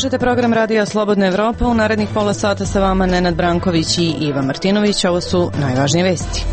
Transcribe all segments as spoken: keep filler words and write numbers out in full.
Slušajte program Radija Slobodna Evropa. U narednih pola sata sa vama Nenad Branković i Iva Martinović. Ovo su najvažnije vesti.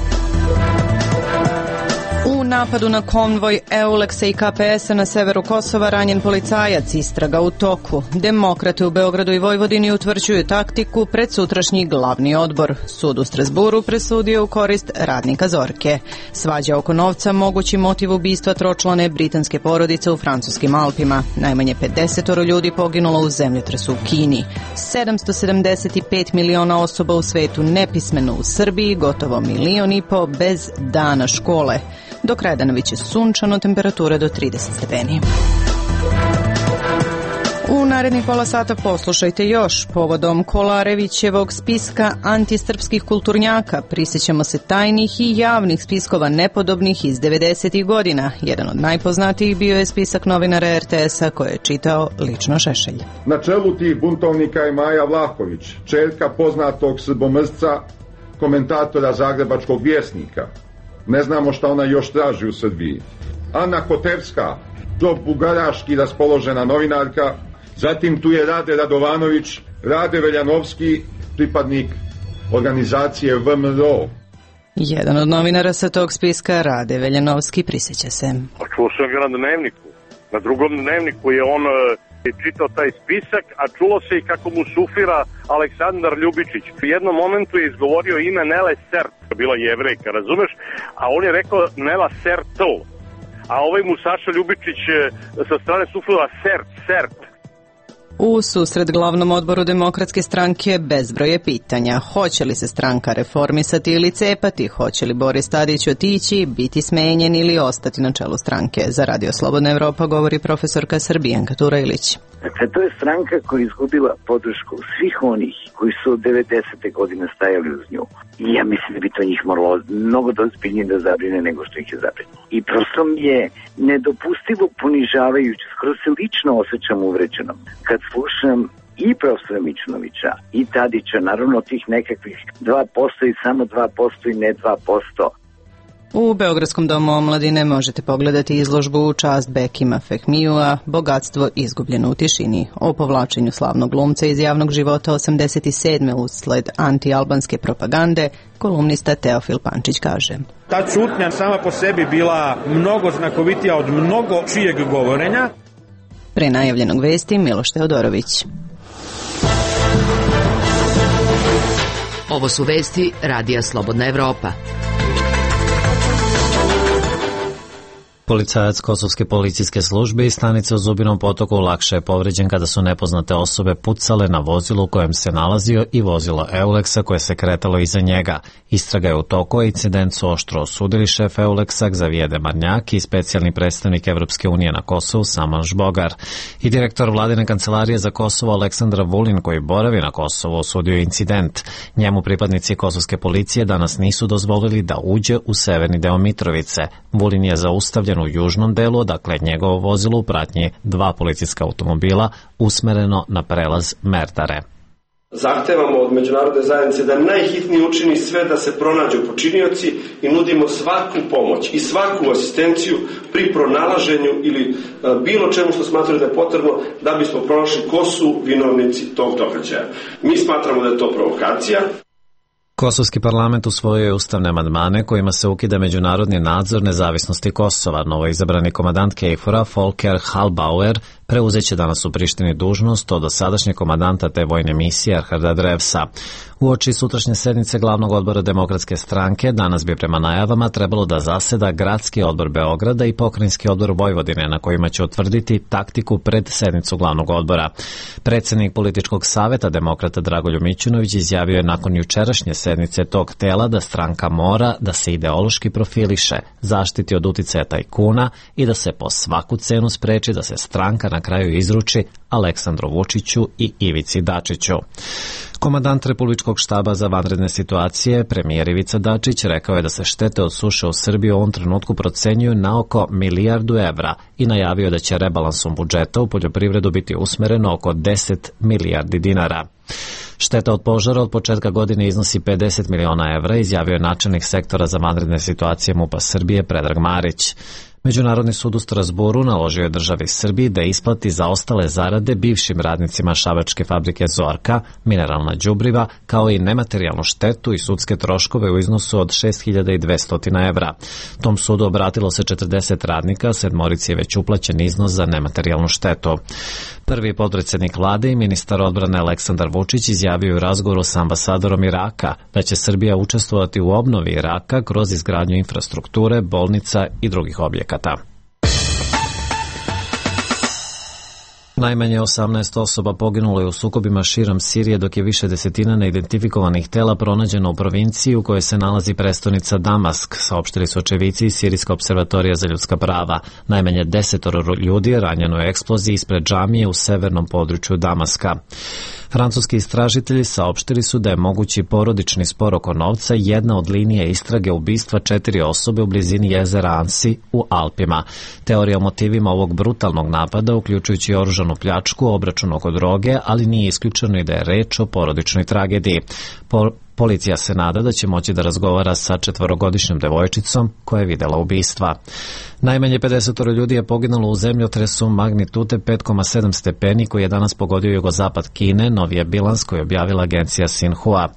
U napadu na konvoj Euleksa i Ka Pe Esa na severu Kosova ranjen policajac, istraga u toku. Demokrate u Beogradu i Vojvodini utvrđuju taktiku pred sutrašnji glavni odbor. Sud u Strasburu presudio u korist radnika Zorke. Svađa oko novca, mogući motiv ubistva tročlane britanske porodice u francuskim Alpima. Najmanje pedeset ljudi poginulo u zemljotresu u Kini. sedamsto sedamdeset pet miliona osoba u svetu nepismeno, u Srbiji gotovo milion i po bez dana škole. Do kraja dana biće sunčano, temperature do trideset stepeni. U narednih pola sata poslušajte još. Povodom Kolarevićevog spiska antisrpskih kulturnjaka prisjećamo se tajnih i javnih spiskova nepodobnih iz devedesetih godina. Jedan od najpoznatijih bio je spisak novinara Er Te Esa koje je čitao lično Šešelj. Na čelu tih buntovnika je Maja Vlahović, čerka poznatog srbomrzca, komentatora Zagrebačkog vjesnika. Ne znamo šta ona još traži u Srbiji. Ana Kotevska, džob bugaraški raspoložena novinarka. Zatim tu je Rade Radovanović, Rade Veljanovski, pripadnik organizacije V M R O. Jedan od novinara sa tog spiska, Rade Veljanovski, prisjeća se. Čuo sam ga na dnevniku. Na drugom dnevniku je on je čitao taj spisak, a čulo se i kako mu sufira Aleksandar Ljubičić. U jednom momentu je izgovorio ime Nele Sert, bila jevrejka, razumeš? A on je rekao Nela Sertl. A ovaj mu Saša Ljubičić sa strane sufila Sert, Sert. U susret glavnom odboru Demokratske stranke bezbroj je pitanja. Hoće li se stranka reformisati ili cepati? Hoće li Boris Tadić otići, biti smenjen ili ostati na čelu stranke? Za Radio Slobodna Evropa govori profesorka Srbijanka Turajlić. Dakle, to je stranka koja je izgubila podršku svih onih koji su od devedesete godine stajali uz nju. I ja mislim da bi to njih moralo mnogo dozbiljnije da zabrine nego što ih je zabrinulo. I prosto mi je nedopustivo ponižavajuće, skoro se lično osjećam uvređenom kad slušam i profesora Mićunovića i Tadića, naravno tih nekakvih dva posto i samo dva posto i ne dva posto. U Beogradskom domu omladine možete pogledati izložbu u čast Bekima Fehmijua Bogatstvo izgubljeno u tišini, o povlačenju slavnog glumca iz javnog života osamdeset sedme usled anti-albanske propagande. Kolumnista Teofil Pančić kaže: Ta ćutnja sama po sebi bila mnogo znakovitija od mnogo čijeg govorenja. Pre najavljenog vesti Miloš Teodorović. Ovo su vesti Radija Slobodna Evropa. Policajac Kosovske policijske službe iz stanice u Zubinom Potoku lakše je povređen kada su nepoznate osobe pucale na vozilu u kojem se nalazio i vozilo Euleksa koje se kretalo iza njega. Istraga je u toku, a incident su oštro osudili šef Euleksa Xavier Demarnjak i specijalni predstavnik Evropske unije na Kosovu Saman Žbogar. I direktor vladine kancelarije za Kosovo Aleksandar Vulin, koji boravi na Kosovu, osudio incident. Njemu pripadnici kosovske policije danas nisu dozvolili da uđe u severni deo Mitrovice. Vulin je zaustavljen u južnom delu, dakle njegovo vozilo u pratnji dva policijska automobila usmereno na prelaz Merdare. Zahtevamo od međunarodne zajednice da najhitnije učini sve da se pronađu počinioci i nudimo svaku pomoć i svaku asistenciju pri pronalaženju ili bilo čemu što smatraju da je potrebno da bismo pronašli ko su vinovnici tog događaja. Mi smatramo da je to provokacija. Kosovski parlament usvojio je ustavne amandmane kojima se ukida međunarodni nadzor nezavisnosti Kosova. Novoizabrani komandant Kejfora Volker Halbauer preuzeće danas u Prištini dužnost od dosadašnjeg komandanta te vojne misije Erharda Drevsa. Uoči sutrašnje sednice glavnog odbora Demokratske stranke danas bi prema najavama trebalo da zaseda Gradski odbor Beograda i Pokrajinski odbor Vojvodine, na kojima će utvrditi taktiku pred sednicu glavnog odbora. Predsednik političkog saveta Demokrata Dragoljub Mićunović izjavio je nakon jučerašnje sednice tog tela da stranka mora da se ideološki profiliše, zaštiti od uticaja tajkuna i da se po svaku cenu spreči da se stranka na kraju izruči Aleksandru Vučiću i Ivici Dačiću. Komandant Republičkog štaba za vanredne situacije, premijer Ivica Dačić, rekao je da se štete od suše u Srbiji u ovom trenutku procenjuju na oko milijardu evra i najavio da će rebalansom budžeta u poljoprivredu biti usmereno oko deset milijardi dinara. Šteta od požara od početka godine iznosi pedeset miliona evra, izjavio je načelnik sektora za vanredne situacije MUP-a Srbije Predrag Marić. Međunarodni sud u Strasburu naložio je državi Srbiji da isplati zaostale zarade bivšim radnicima šabačke fabrike Zorka, mineralna đubriva, kao i nematerijalnu štetu i sudske troškove u iznosu od šest hiljada dvesta evra. Tom sudu obratilo se četrdeset radnika, sedmorici je već uplaćen iznos za nematerijalnu štetu. Prvi potpredsjednik vlade i ministar odbrane Aleksandar Vučić izjavio u razgovoru sa ambasadorom Iraka da će Srbija učestvovati u obnovi Iraka kroz izgradnju infrastrukture, bolnica i drugih objekata. Najmanje osamnaest osoba poginulo je u sukobima širom Sirije, dok je više desetina neidentifikovanih tela pronađeno u provinciji u kojoj se nalazi prestonica Damask, saopštili su očevici iz Sirijska observatorija za ljudska prava. Najmanje desetoro ljudi je ranjeno u eksploziji ispred džamije u severnom području Damaska. Francuski istražitelji saopštili su da je mogući porodični spor oko novca jedna od linija istrage ubistva četiri osobe u blizini jezera Ansi u Alpima. Teorija o motivima ovog brutalnog napada, uključujući oružanu pljačku, obračun oko droge, ali nije isključeno i da je reč o porodičnoj tragediji. Po Policija se nada da će moći da razgovara sa četvorogodišnjom devojčicom koja je videla ubistva. Najmanje pedeset ljudi je poginulo u zemljotresu magnitude pet zarez sedam stepeni koji je danas pogodio jugozapad Kine, novije bilans koji je objavila agencija Sinhua.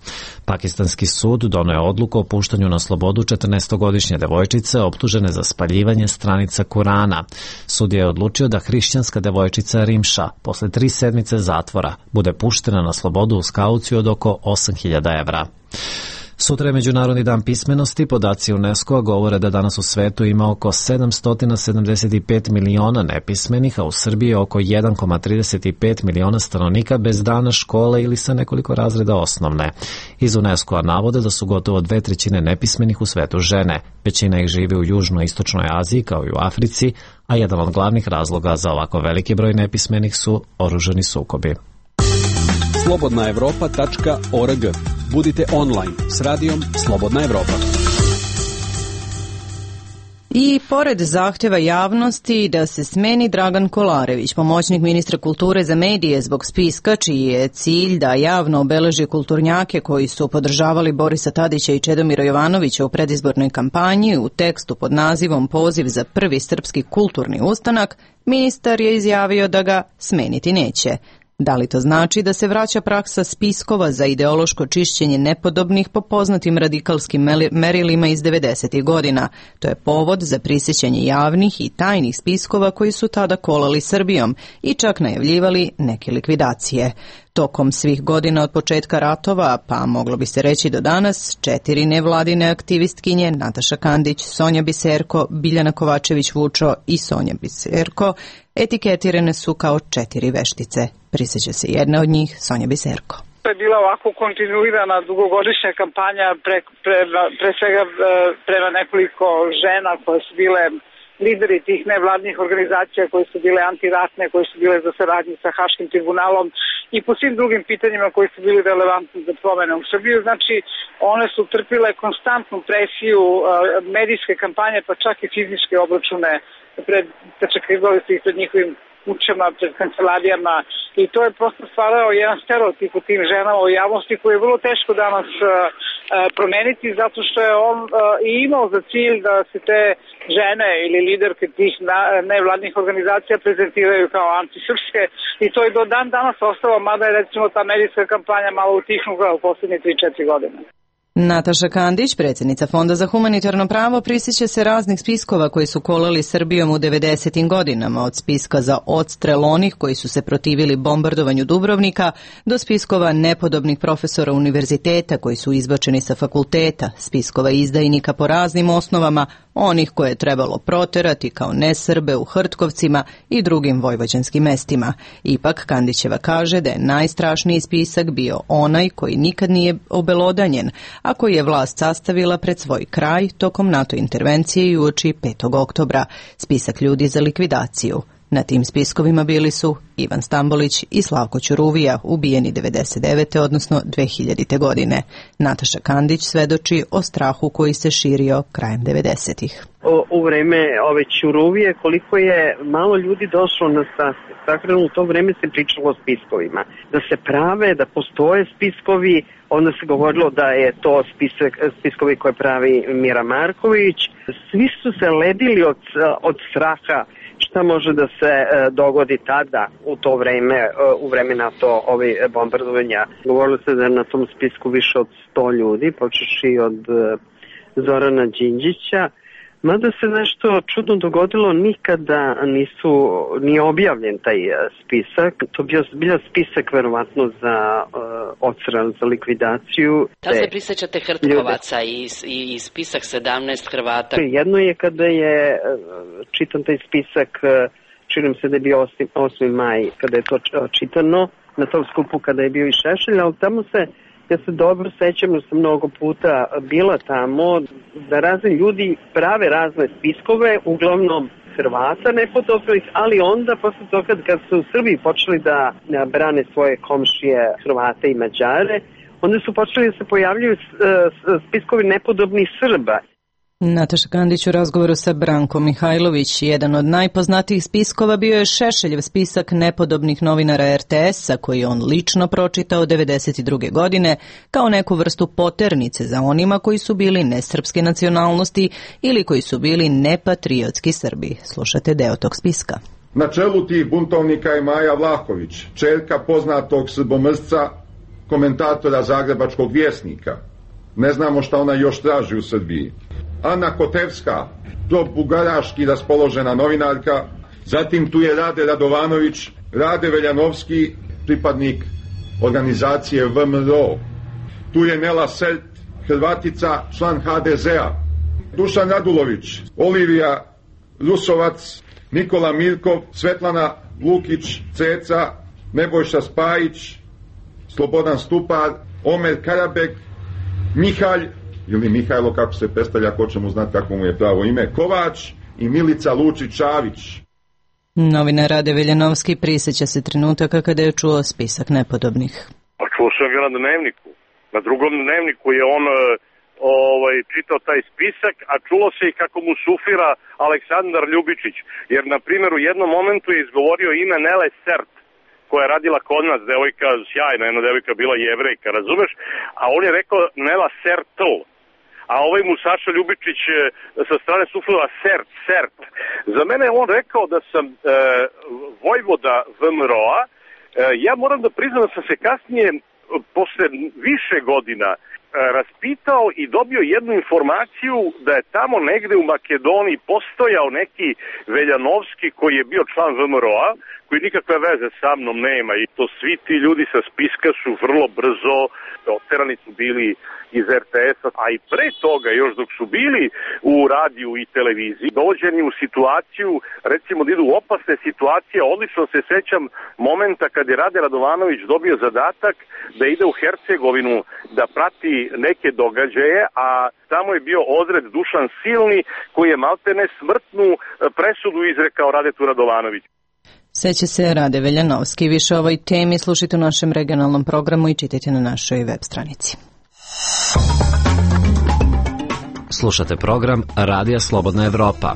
Pakistanski sud doneo je odluku o puštanju na slobodu četrnaestogodišnje devojčice optužene za spaljivanje stranica Kurana. Sud je odlučio da hrišćanska devojčica Rimša posle tri sedmice zatvora bude puštena na slobodu uz kauciju od oko osam hiljada evra. Sutra je Međunarodni dan pismenosti. Podaci UNESCO govore da danas u svetu ima oko sedamsto sedamdeset pet miliona nepismenih, a u Srbiji oko jedan zarez trideset pet miliona stanovnika bez dana škole ili sa nekoliko razreda osnovne. Iz UNESCO-a navode da su gotovo dve trećine nepismenih u svetu žene. Većina ih živi u Južnoj i Istočnoj Aziji kao i u Africi, a jedan od glavnih razloga za ovako veliki broj nepismenih su oružani sukobi. slobodna evropa tačka org. Budite online s radijom Slobodna Evropa. I pored zahtjeva javnosti da se smeni Dragan Kolarević, pomoćnik ministra kulture za medije zbog spiska čiji je cilj da javno obeleži kulturnjake koji su podržavali Borisa Tadića i Čedomira Jovanovića u predizbornoj kampanji, u tekstu pod nazivom Poziv za prvi srpski kulturni ustanak, ministar je izjavio da ga smeniti neće. Da li to znači da se vraća praksa spiskova za ideološko čišćenje nepodobnih po poznatim radikalskim merilima iz devedesetih godina? To je povod za prisjećanje javnih i tajnih spiskova koji su tada kolali Srbijom i čak najavljivali neke likvidacije. Tokom svih godina od početka ratova, pa moglo bi se reći do danas, četiri nevladine aktivistkinje, Nataša Kandić, Sonja Biserko, Biljana Kovačević-Vučo i Sonja Biserko, etiketirane su kao četiri veštice. Prisjeća se jedna od njih, Sonja Biserko. To je bila ovako kontinuirana dugogodišnja kampanja pre, pre, pre svega prema nekoliko žena koje su bile lideri tih nevladnih organizacija, koje su bile antiratne, koje su bile za saradnju sa Haškim tribunalom i po svim drugim pitanjima koji su bili relevantni za promene u Srbiju. Znači, one su trpile konstantnu presiju medijske kampanje, pa čak i fizičke obračune, pred, začekivali su ih pred njihovim kućama, pred kancelarijama i to je prosto stvarao jedan stereotip u tim ženama u javnosti koji je vrlo teško danas uh, promeniti zato što je on uh, i imao za cilj da se te žene ili liderke tih nevladnih organizacija prezentiraju kao antisrpske i to je do dan danas ostalo, mada je recimo ta medijska kampanja malo utihnula u posljednje tri četiri godine. Nataša Kandić, predsjednica Fonda za humanitarno pravo, prisjeća se raznih spiskova koji su kolali Srbijom u devedesetim godinama, od spiska za odstrel onih koji su se protivili bombardovanju Dubrovnika, do spiskova nepodobnih profesora univerziteta koji su izbačeni sa fakulteta, spiskova izdajnika po raznim osnovama, onih koje je trebalo proterati kao nesrbe u Hrtkovcima i drugim vojvođanskim mestima. Ipak, Kandićeva kaže da je najstrašniji spisak bio onaj koji nikad nije obelodanjen, a koji je vlast sastavila pred svoj kraj tokom NATO intervencije i uoči petog oktobra, spisak ljudi za likvidaciju. Na tim spiskovima bili su Ivan Stambolić i Slavko Ćuruvija, ubijeni devedeset devete odnosno dve hiljadite godine. Nataša Kandić svedoči o strahu koji se širio krajem devedesetih. u vreme ove Ćuruvije, koliko je malo ljudi došlo na sahranu. U to vreme se pričalo o spiskovima. Da se prave, da postoje spiskovi, onda se govorilo da je to spisak, spiskovi koje pravi Mira Marković. Svi su se ledili od, od straha šta može da se dogodi tada u to vreme, u vreme NATO ove bombardovanja. Govorilo se da je na tom spisku više od sto ljudi, počeši od Zorana Đinđića. Mada se nešto čudno dogodilo, nikada nisu, nije objavljen taj spisak. To bio bio spisak verovatno za uh, odstran, za likvidaciju. Da se prisjećate Hrtkovaca i, i, i spisak sedamnaest Hrvata? Jedno je kada je čitan taj spisak, činim se da je bio osmi maj, kada je to čitano, na tom skupu kada je bio i Šešelj, ali tamo se, ja se dobro sećam da sam mnogo puta bila tamo, da razni ljudi prave razne spiskove, uglavnom Hrvata nepodobnih, ali onda posle toga kad su u Srbiji počeli da brane svoje komšije Hrvate i Mađare, onda su počeli da se pojavljaju spiskovi nepodobnih Srba. Nataša Kandić u razgovoru sa Brankom Mihajlović. Jedan od najpoznatijih spiskova bio je Šešeljev spisak nepodobnih novinara er te esa, koji je on lično pročitao devedeset druge godine kao neku vrstu poternice za onima koji su bili nesrpske nacionalnosti ili koji su bili nepatriotski Srbi. Slušate deo tog spiska. Na čelu tih buntovnika je Maja Vlahović, čerka poznatog srbomrsca, komentatora Zagrebačkog vjesnika. Ne znamo šta ona još traži u Srbiji. Ana Kotevska, pro-bugaraški raspoložena novinarka, zatim tu je Rade Radovanović, Rade Veljanovski, pripadnik organizacije ve em er o. Tu je Nela Sert, Hrvatica, član ha de zea. Dušan Radulović, Olivija Rusovac, Nikola Mirkov, Svetlana Lukić, Ceca, Nebojša Spajić, Slobodan Stupar, Omer Karabek, Mihalj, ili Mihajlo, kako se predstavlja, ko će mu znati kako mu je pravo ime, Kovač i Milica Lučić-Čavić. Novinar Rade Veljanovski prisjeća se trenutaka kada je čuo spisak nepodobnih. Pa čuo sam ga na dnevniku. Na drugom dnevniku je on ovaj, čitao taj spisak, a čulo se i kako mu sufira Aleksandar Ljubičić. Jer, na primjer, u jednom momentu je izgovorio ime Nele Sert, koja je radila kod nas, devojka sjajna, jedna devojka bila Jevrejka, razumeš? A on je rekao Nela Sertl. A ovaj mu Saša Ljubičić sa strane suflila Sert, Sert. Za mene je on rekao da sam e, vojvoda ve em er o-a. E, ja moram da priznam da sam se kasnije, posle više godina, e, raspitao i dobio jednu informaciju da je tamo negde u Makedoniji postojao neki Veljanovski koji je bio član ve em er o-a, koji nikakve veze sa mnom nema, i to svi ti ljudi sa spiska su vrlo brzo oterani su bili iz er te esa, a i pre toga, još dok su bili u radiju i televiziji, dođeni u situaciju, recimo da idu u opasne situacije. Odlično se sećam momenta kad je Rade Radovanović dobio zadatak da ide u Hercegovinu da prati neke događaje, a tamo je bio odred Dušan Silni koji je maltene smrtnu presudu izrekao Radetu Radovanoviću. Seća se Rade Veljanovski. Više o ovoj temi slušajte u našem regionalnom programu i čitajte na našoj web stranici. Slušate program Radija Slobodna Evropa.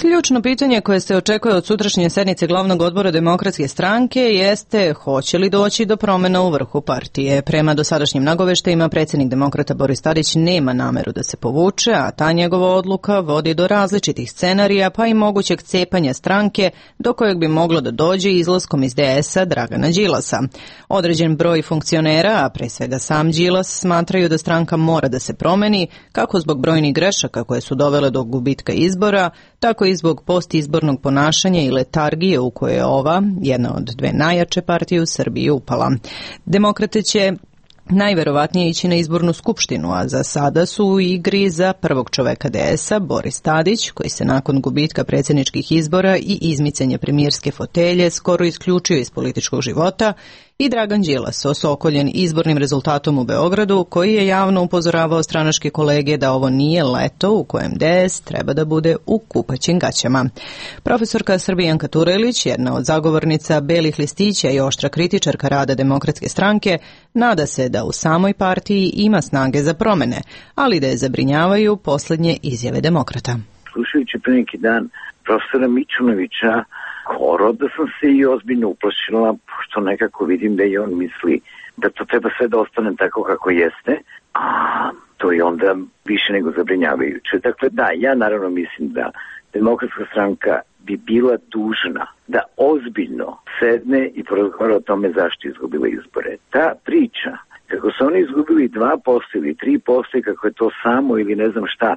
Ključno pitanje koje se očekuje od sutrašnje sednice glavnog odbora Demokratske stranke jeste hoće li doći do promjena u vrhu partije. Prema dosadašnjim nagoveštajima predsjednik Demokrata Boris Tadić nema nameru da se povuče, a ta njegova odluka vodi do različitih scenarija pa i mogućeg cepanja stranke do kojeg bi moglo da dođe izlaskom iz de esa Dragana Đilasa. Određen broj funkcionera, a pre svega sam Đilas, smatraju da stranka mora da se promeni kako zbog brojnih grešaka koje su dovele do gubitka izbora, tako i zbog postizbornog ponašanja i letargije u koje je ova, jedna od dve najjače partije u Srbiji, upala. Demokrate će najverovatnije ići na izbornu skupštinu, a za sada su u igri za prvog čoveka de esa Boris Tadić, koji se nakon gubitka predsjedničkih izbora i izmicanja premijerske fotelje skoro isključio iz političkog života, i Dragan Đilas, osokoljen izbornim rezultatom u Beogradu, koji je javno upozoravao stranačke kolege da ovo nije leto u kojem D S treba da bude u kupaćim gaćama. Profesorka Srbijanka Turelić, jedna od zagovornica belih listića i oštra kritičarka rada Demokratske stranke, nada se da u samoj partiji ima snage za promene, ali da je zabrinjavaju poslednje izjave demokrata. Slušajući pre neki dan profesora Mićunovića, skoro da sam se i ozbiljno uplašila, pošto nekako vidim da i on misli da to treba sve da ostane tako kako jeste, a to je onda više nego zabrinjavajuće. Dakle, da, ja naravno mislim da Demokratska stranka bi bila dužna da ozbiljno sedne i porazgovara o tome zašto je izgubila izbore. Ta priča, kako su oni izgubili dva posto ili tri posto i kako je to samo ili ne znam šta,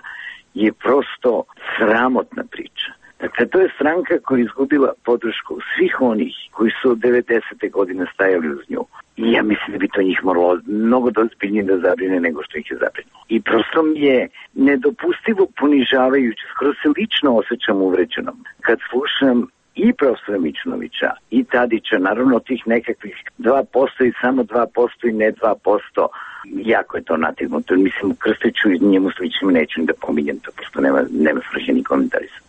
je prosto sramotna priča. Dakle, to je stranka koja je izgubila podršku svih onih koji su od devedesete godine stajali uz nju. I ja mislim da bi to njih moralo mnogo ozbiljnije da zabrine nego što ih je zabrinulo. I prosto mi je nedopustivo ponižavajuće, skoro se lično osjećam uvređenom kad slušam i profesora Mićunovića i Tadića, naravno tih nekakvih dva posto i samo dva posto i ne dva posto, jako je to nategnuto. Mislim, Krstiću i njemu sličnim neću da pominjem, to prosto nema, nema svrhe ni komentarisati.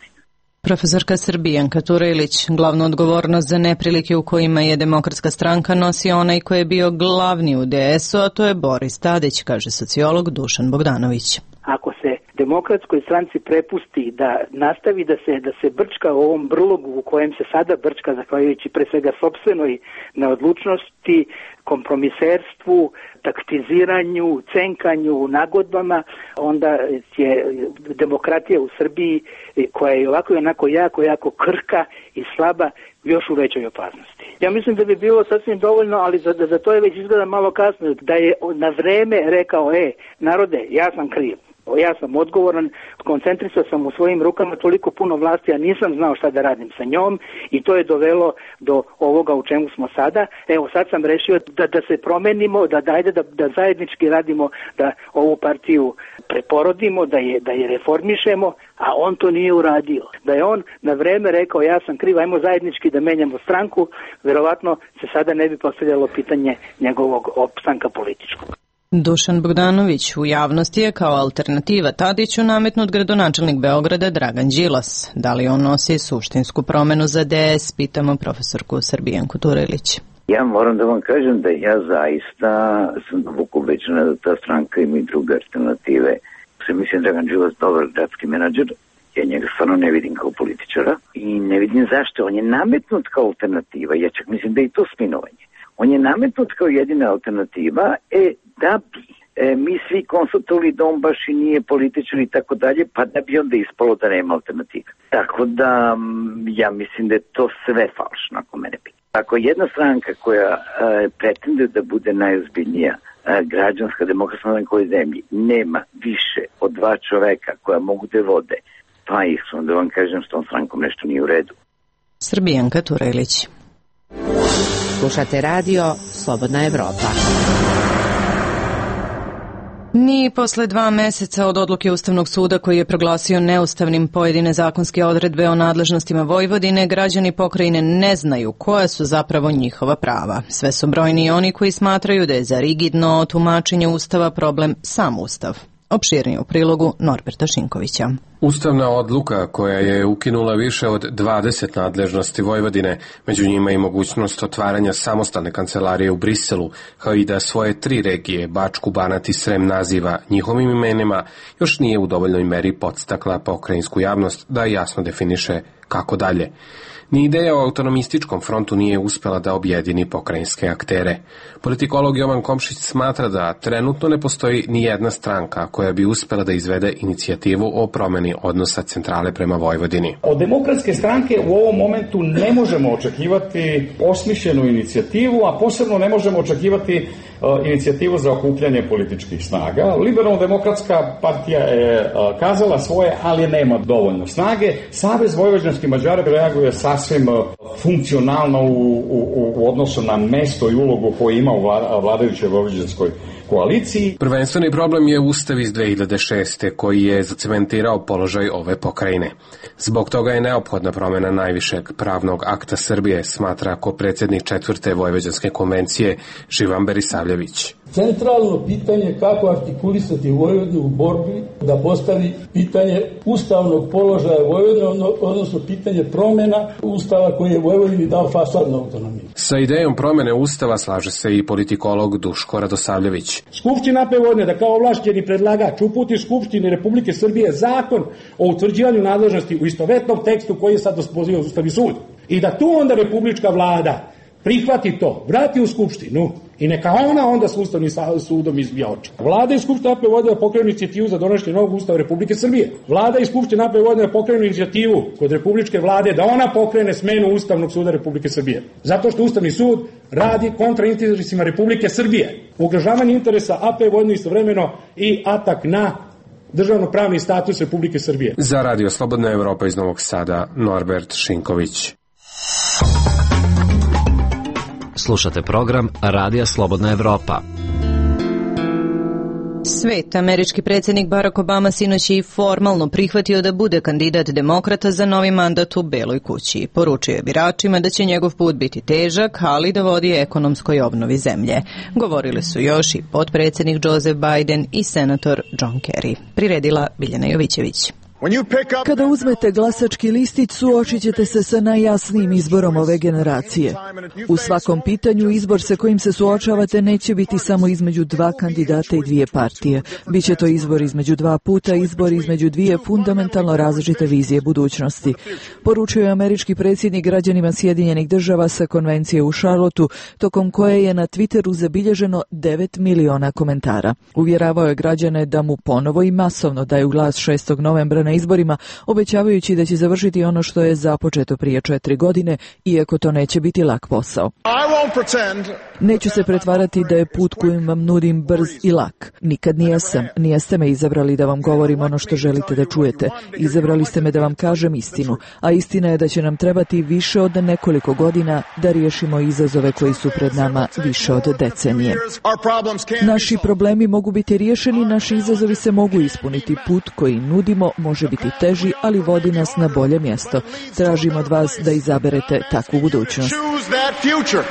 Profesorka Srbijanka Turelić, glavnu odgovornost za neprilike u kojima je Demokratska stranka nosi onaj koji je bio glavni u D S-u, a to je Boris Tadić, kaže sociolog Dušan Bogdanović. Ako se Demokratskoj stranci prepusti da nastavi da se da se brčka u ovom brlogu u kojem se sada brčka, zahvaljujući pre svega sopstvenoj neodlučnosti, kompromiserstvu, taktiziranju, cenkanju, nagodbama, onda je demokratija u Srbiji, koja je ovako i onako jako, jako krhka i slaba, još u većoj opasnosti. Ja mislim da bi bilo sasvim dovoljno, ali za, za to je već izgleda malo kasno, da je na vreme rekao, e, narode, ja sam kriv. Ja sam odgovoran, koncentrisao sam u svojim rukama toliko puno vlasti, a nisam znao šta da radim sa njom i to je dovelo do ovoga u čemu smo sada. Evo sad sam rešio da, da se promenimo, da dajde da, da zajednički radimo, da ovu partiju preporodimo, da je, da je reformišemo, a on to nije uradio. Da je on na vreme rekao ja sam kriv, ajmo zajednički da menjamo stranku, verovatno se sada ne bi postavljalo pitanje njegovog opstanka političkog. Dušan Bogdanović u javnosti je kao alternativa Tadiću nametnut gradonačelnik Beograda Dragan Đilas. Da li on nosi suštinsku promenu za D S, pitamo profesorku Srbijanku Turelić. Ja moram da vam kažem da ja zaista sam duboko ubeđena da ta stranka ima i druge alternative. Se mislim Dragan Đilas dobar gradski menadžer, ja njega stvarno ne vidim kao političara i ne vidim zašto. On je nametnut kao alternativa, ja čak mislim da je to spinovanje. On je nametnut kao jedina alternativa, e, da bi e, mi svi konstatovali da on baš i nije političar i tako dalje, pa da bi onda ispalo da nema alternative. Tako da ja mislim da je to sve falšno, ako mene pita. Ako jedna stranka koja e, pretende da bude najozbiljnija e, građanska demokratska na kojoj zemlji nema više od dva čoveka koja mogu da vode, pa ih sam da vam kažem s tom strankom nešto nije u redu. Srbijanka Turelić. Slušate radio Slobodna Evropa. Ni posle dva meseca od odluke Ustavnog suda koji je proglasio neustavnim pojedine zakonske odredbe o nadležnostima Vojvodine, građani pokrajine ne znaju koja su zapravo njihova prava. Sve su brojni oni koji smatraju da je za rigidno tumačenje Ustava problem sam Ustav. Opširnije u prilogu Norberta Šinkovića. Ustavna odluka koja je ukinula više od dvadeset nadležnosti Vojvodine, među njima i mogućnost otvaranja samostalne kancelarije u Briselu, kao i da svoje tri regije, Bačku, Banat i Srem naziva njihovim imenima, još nije u dovoljnoj meri podstakla pokrajinsku javnost da jasno definiše kako dalje. Ni ideja o autonomističkom frontu nije uspela da objedini pokrajinske aktere. Politikolog Jovan Komšić smatra da trenutno ne postoji ni jedna stranka koja bi uspela da izvede inicijativu o promeni odnosa centrale prema Vojvodini. Od Demokratske stranke u ovom momentu ne možemo očekivati osmišljenu inicijativu, a posebno ne možemo očekivati uh, inicijativu za okupljanje političkih snaga. Liberalno-demokratska partija je uh, kazala svoje, ali nema dovoljno snage. Savez vojvođanskih Mađara reaguje sa sasvim funkcionalno u, u, u odnosu na mesto i ulogu koju ima u vlada, vladajućoj vojvođanskoj koaliciji. Prvenstveni problem je Ustav iz dve hiljade šeste koji je zacementirao položaj ove pokrajine. Zbog toga je neophodna promjena najvišeg pravnog akta Srbije, smatra predsjednik četvrte Vojvođanske konvencije Živan Berisavljević. Centralno pitanje kako artikulisati Vojvodinu u borbi da postavi pitanje ustavnog položaja Vojvodine, odnosno pitanje promjena Ustava koji je Vojvodini dao fasadnu autonomiju. Sa idejom promjene Ustava slaže se i politikolog Duško Radosavljević. Skupština A P Vojvodine da kao ovlašćeni predlagač uputi Skupštini Republike Srbije zakon o utvrđivanju nadležnosti u istovetnom tekstu koji je sad poziva Ustavni sud. I da tu onda republička vlada prihvati to, vrati u Skupštinu i neka ona onda s Ustavnim sudom izbija oči. Vlada i Skupština A P Vojvodine pokrenu inicijativu za donošenje novog Ustava Republike Srbije. Vlada i Skupština A P Vojvodine pokrenu inicijativu kod republičke vlade da ona pokrene smenu Ustavnog suda Republike Srbije. Zato što Ustavni sud radi kontra interesima Republike Srbije. Ugrožavanje interesa A P Vojvodine istovremeno i atak na državno-pravni status Republike Srbije. Za Radio Slobodna Evropa iz Novog Sada, Norbert Šinković. Slušate program Radija Slobodna Evropa. Svet, američki predsjednik Barack Obama sinoć je i formalno prihvatio da bude kandidat demokrata za novi mandat u Beloj kući. Poručio je biračima da će njegov put biti težak, ali da vodi ekonomskoj obnovi zemlje. Govorili su još i potpredsjednik Joseph Biden i senator John Kerry. Priredila Biljana Jovićević. Kada uzmete glasački listić, suočit ćete se sa najjasnijim izborom ove generacije. U svakom pitanju izbor sa kojim se suočavate neće biti samo između dva kandidata i dvije partije. Biće to izbor između dva puta, izbor između dvije fundamentalno različite vizije budućnosti. Poručio je američki predsjednik građanima Sjedinjenih država sa konvencije u Charlotteu, tokom koje je na Twitteru zabilježeno devet miliona komentara. Uvjeravao je građane da mu ponovo i masovno daju glas šestog novembra na izborima, obećavajući da će završiti ono što je započeto prije četiri godine, iako to neće biti lak posao. Neću se pretvarati da je put kojim vam nudim brz i lak. Nikad nijesam. Nijeste me izabrali da vam govorim ono što želite da čujete. Izabrali ste me da vam kažem istinu, a istina je da će nam trebati više od nekoliko godina da riješimo izazove koji su pred nama više od decenije. Naši problemi mogu biti riješeni, naši izazovi se mogu ispuniti. Put koji nudimo može biti teži, ali vodi nas na bolje mjesto. Tražimo od vas da izaberete takvu budućnost.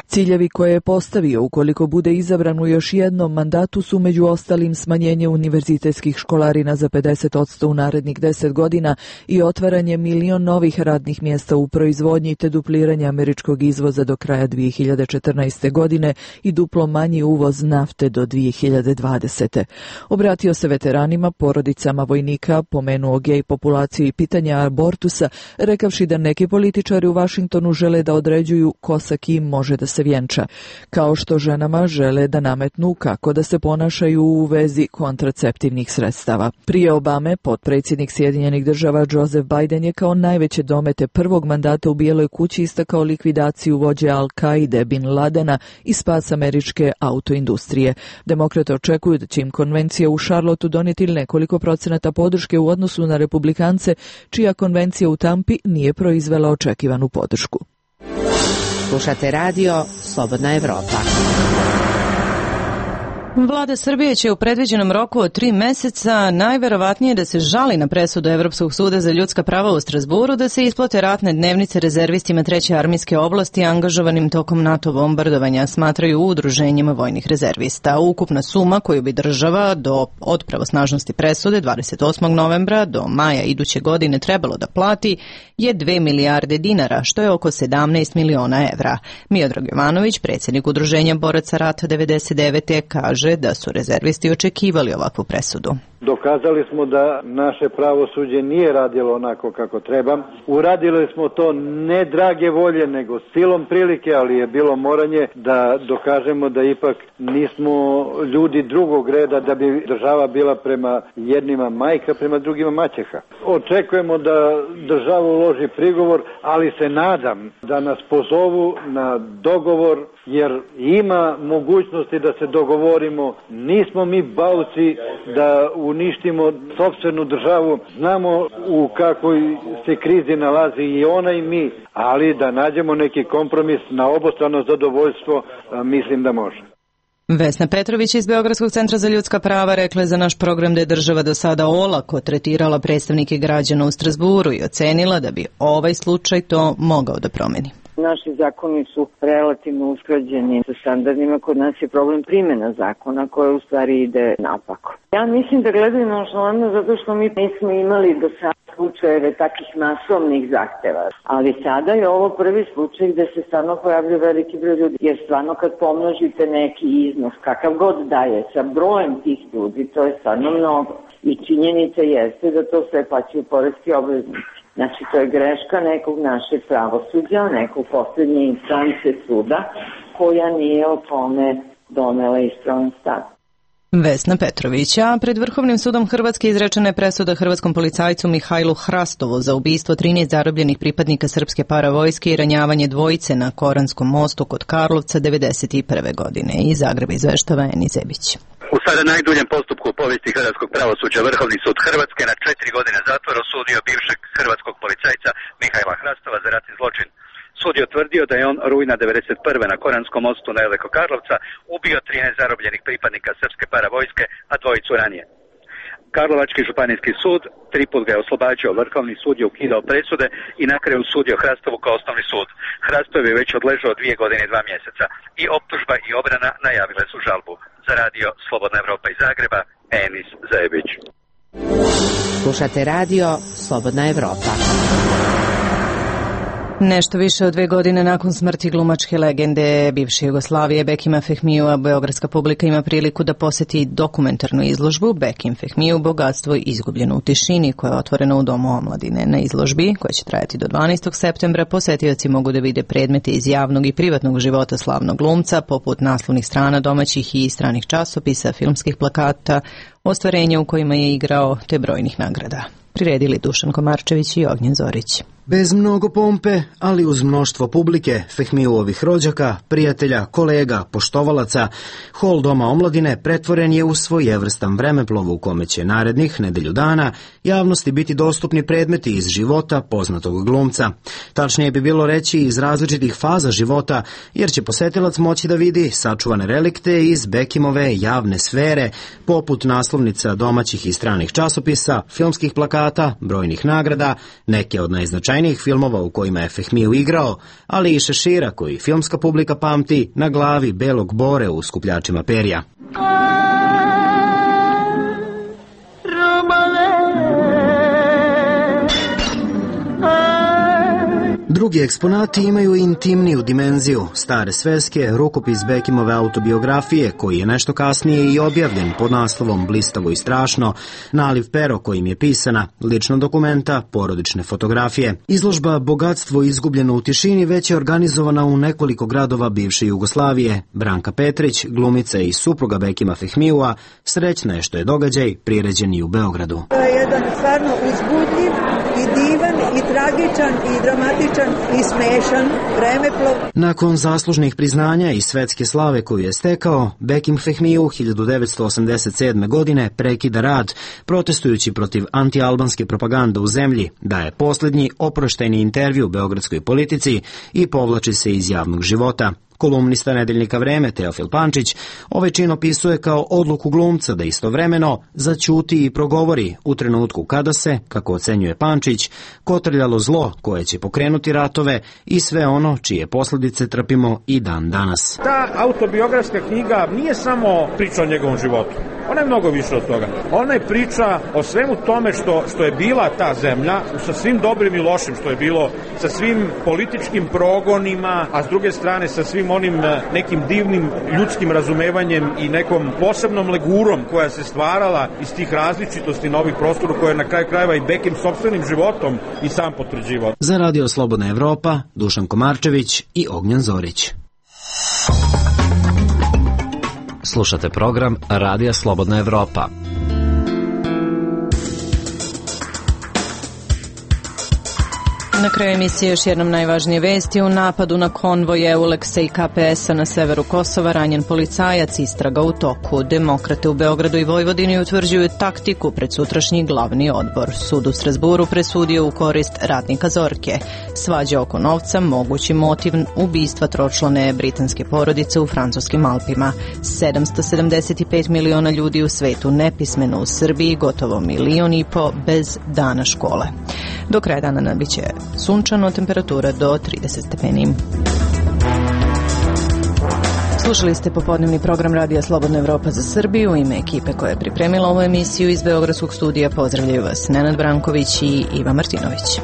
Ciljevi koje je postavio ukoliko bude izabran u još jednom mandatu su među ostalim smanjenje univerzitetskih školarina za pedeset posto u narednih deset godina i otvaranje milion novih radnih mjesta u proizvodnji te dupliranje američkog izvoza do kraja dvije hiljade četrnaeste. godine i duplo manji uvoz nafte do dvije hiljade dvadesete. Obratio se veteranima, porodicama vojnika, pomenuo gej populaciju i pitanja abortusa, rekavši da neki političari u Vašingtonu žele da određuju ko sa kim može da se vjenča, kao što ženama žele da nametnu kako da se ponašaju u vezi kontraceptivnih sredstava. Prije Obame, potpredsjednik Sjedinjenih država Joseph Biden je kao najveće domete prvog mandata u Bijeloj kući istakao likvidaciju vođe Al-Kaide Bin Ladena i spas američke autoindustrije. Demokrate očekuju da će im konvencija u Charlotteu donijeti nekoliko procenata podrške u odnosu na republikance, čija konvencija u Tampi nije proizvela očekivanu podršku. Slušate radio Slobodna Evropa. Vlada Srbije će u predviđenom roku od tri meseca najverovatnije da se žali na presudu Evropskog suda za ljudska prava u Strasburu da se isplate ratne dnevnice rezervistima treće armijske oblasti angažovanim tokom NATO bombardovanja, smatraju u udruženjima vojnih rezervista. Ukupna suma koju bi država do od pravosnažnosti presude dvadeset osmog novembra do maja iduće godine trebalo da plati je dve milijarde dinara, što je oko sedamnaest miliona evra. Miodrag Jovanović, predsjednik udruženja boraca rata devedeset devete. kaže da su rezervisti očekivali ovakvu presudu. Dokazali smo da naše pravosuđe nije radilo onako kako treba. Uradili smo to ne drage volje, nego silom prilike, ali je bilo moranje da dokažemo da ipak nismo ljudi drugog reda, da bi država bila prema jednima majka, prema drugima maćeha. Očekujemo da država uloži prigovor, ali se nadam da nas pozovu na dogovor, jer ima mogućnosti da se dogovorimo. Nismo mi bauci da u uništimo sopstvenu državu. Znamo u kakvoj se krizi nalazi i ona i mi, ali da nađemo neki kompromis na obostrano zadovoljstvo, mislim da može. Vesna Petrović iz Beogradskog centra za ljudska prava rekla je za naš program da je država do sada olako tretirala predstavnike građana u Strazburu i ocenila da bi ovaj slučaj to mogao da promeni. Naši zakoni su relativno usklađeni sa standardima, kod nas je problem primjena zakona koja u stvari ide napako. Ja mislim da gledaju nonšalantno zato što mi nismo imali do sada slučajeve takvih masovnih zahteva, ali sada je ovo prvi slučaj gde se stvarno pojavljaju veliki broj ljudi, jer stvarno kad pomnožite neki iznos, kakav god daje, sa brojem tih ljudi, to je stvarno mnogo. I činjenica jeste da to sve plaćaju poreski obveznici. Znači, to je greška nekog našeg pravosuđa, nekog poslednje instance suda, koja nije o tome donela ispravan stav. Vesna Petrovića, pred Vrhovnim sudom Hrvatske izrečena je presuda hrvatskom policajcu Mihajlu Hrastovu za ubistvo trinaest zarobljenih pripadnika srpske paravojske i ranjavanje dvojice na Koranskom mostu kod Karlovca devedeset prve godine. Iz Zagreba izveštava Eni Zebić. U sada najduljem postupku u povijesti hrvatskog pravosuđa Vrhovni sud Hrvatske na četiri godine zatvora osudio bivšeg hrvatskog policajca Mihajla Hrastova za ratni zločin. Sud je utvrdio da je on rujna devedeset prve na Koranskom mostu nedaleko Karlovca ubio trinaest zarobljenih pripadnika srpske paravojske, a dvojicu ranije. Karlovački županijski sud tri put ga je oslobađao, Vrhovni sud je ukidao presude i na kraju sudio Hrastovu kao osnovni sud. Hrastov je već odležao dvije godine i dva mjeseca i optužba i obrana najavile su žalbu. Za radio Slobodna Evropa iz Zagreba, Enis Zajebić. Slušate radio Slobodna Evropa. Nešto više od dve godine nakon smrti glumačke legende bivše Jugoslavije Bekima Fehmijua, beogradska publika ima priliku da poseti dokumentarnu izložbu Bekim Fehmiju, bogatstvo izgubljeno u tišini, koja je otvorena u Domu omladine. Na izložbi, koja će trajati do dvanaestog septembra, posetioci mogu da vide predmete iz javnog i privatnog života slavnog glumca, poput naslovnih strana domaćih i stranih časopisa, filmskih plakata, ostvarenja u kojima je igrao, te brojnih nagrada. Priredili Dušan Komarčević i Ognjen Zorić. Bez mnogo pompe, ali uz mnoštvo publike, Fehmijuovih rođaka, prijatelja, kolega, poštovalaca, hol Doma omladine pretvoren je u svojevrstan vremeplov u kome će narednih nedelju dana javnosti biti dostupni predmeti iz života poznatog glumca. Tačnije bi bilo reći iz različitih faza života, jer će posetilac moći da vidi sačuvane relikte iz Bekimove javne sfere, poput naslovnica domaćih i stranih časopisa, filmskih plakata, brojnih nagrada, neke od najznačajnijih filmova u kojima je Fehmiju igrao, ali i šešira koji filmska publika pamti na glavi belog bore u skupljačima perja. Drugi eksponati imaju intimniju dimenziju, stare sveske, rukopis Bekimove autobiografije, koji je nešto kasnije i objavljen pod naslovom Blistavo i strašno, naliv pero kojim je pisana, lična dokumenta, porodične fotografije. Izložba Bogatstvo izgubljeno u tišini već je organizovana u nekoliko gradova bivše Jugoslavije. Branka Petrić, glumica i supruga Bekima Fehmijua, srećna je što je događaj priređen i u Beogradu. To je jedan stvarno uzbudljiv i divan i tragičan i dramatičan i smešan vremeplov. Nakon zaslužnih priznanja i svetske slave koju je stekao, Bekim Fehmiju hiljadu devetsto osamdeset sedme. godine prekida rad, protestujući protiv antialbanske propagande u zemlji, daje posljednji oproštajni intervju beogradskoj politici i povlači se iz javnog života. Kolumnista nedeljnika Vreme Teofil Pančić ovaj čin opisuje kao odluku glumca da istovremeno zaćuti i progovori u trenutku kada se, kako ocenjuje Pančić, kotrljalo zlo koje će pokrenuti ratove i sve ono čije posljedice trpimo i dan danas. Ta autobiografska knjiga nije samo priča o njegovom životu. Ona je mnogo više od toga. Ona je priča o svemu tome što, što je bila ta zemlja, sa svim dobrim i lošim što je bilo, sa svim političkim progonima, a s druge strane sa svim onim nekim divnim ljudskim razumevanjem i nekom posebnom legurom koja se stvarala iz tih različitosti na ovih prostora koje je na kraju krajeva i Bekim sopstvenim životom i sam potvrđivao. Za radio Slobodna Evropa, Dušan Komarčević i Ognjen Zorić. Slušate program Radija Slobodna Evropa. na kraju emisije još jednom najvažnije vesti. U napadu na konvoj Euleksa i K P S-a na severu Kosova ranjen policajac, istraga u toku. Demokrate u Beogradu i Vojvodini utvrđuju taktiku pred sutrašnji glavni odbor. Sud u Strasburu presudio u korist radnika Zorke. Svađa oko novca, mogući motiv ubistva tročlane britanske porodice u francuskim Alpima. sedamsto sedamdeset pet miliona ljudi u svetu nepismeno, u Srbiji gotovo milion i po bez dana škole. Do kraja dana nabiće sunčano, temperatura do trideset stepeni. Slušali ste popodnevni program Radija Slobodna Evropa za Srbiju. U ime ekipe koja je pripremila ovu emisiju iz Beogradskog studija pozdravljaju vas Nenad Branković i Iva Martinović.